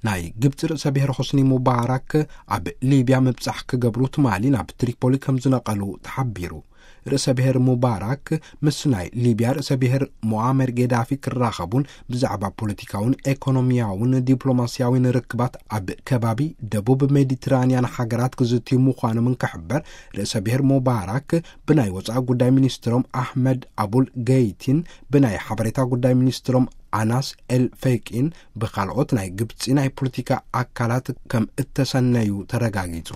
ናይ ግብፂ ርእሰ ብሔር ሆስኒ ሙባራክ ኣብ ሊብያ ምብጻሕ ክገብሩ ትማሊ ናብ ትሪፖሊ ከም ዝነቐሉ ተሓቢሩ። ርእሰ ብሔር ሙባራክ ምስ ናይ ሊብያ ርእሰ ብሔር ሞዓመር ጌዳፊ ክራኸቡን ብዛዕባ ፖለቲካውን ኤኮኖሚያውን ዲፕሎማሲያውን ርክባት ኣብ ከባቢ ደቡብ ሜዲትራንያን ሃገራት ክዝትዩ ምዃኖምን ክሕበር፣ ርእሰ ብሔር ሙባራክ ብናይ ወፃኢ ጉዳይ ሚኒስትሮም ኣሕመድ ኣቡል ገይቲን ብናይ ሓበሬታ ጉዳይ ሚኒስትሮም ኣናስ ኤል ፈቂን ብካልኦት ናይ ግብፂ ናይ ፖለቲካ ኣካላት ከም እተሰነዩ ተረጋጊጹ።